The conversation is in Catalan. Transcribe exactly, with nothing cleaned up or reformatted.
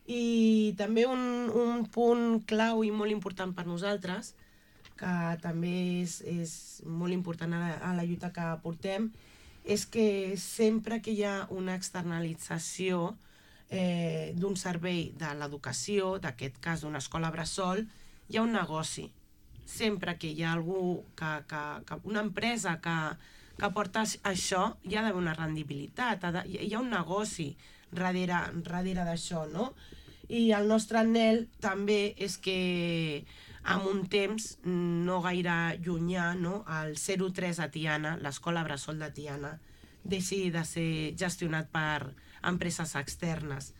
I també un, un punt clau i molt important per nosaltres, que també és, és molt important a la, a la lluita que portem, és que sempre que hi ha una externalització eh, d'un servei de l'educació, d'aquest cas d'una escola bressol, hi ha un negoci. Sempre que hi ha algú, que, que, que una empresa que, que porta això, hi ha d'haver una rendibilitat, ha de, hi ha un negoci darrere, darrere d'això, no? I el nostre anhel també és que en un temps no gaire llunyà, no, el zero tres a Tiana, l'escola bressol de Tiana, deixi de ser gestionat per empreses externes.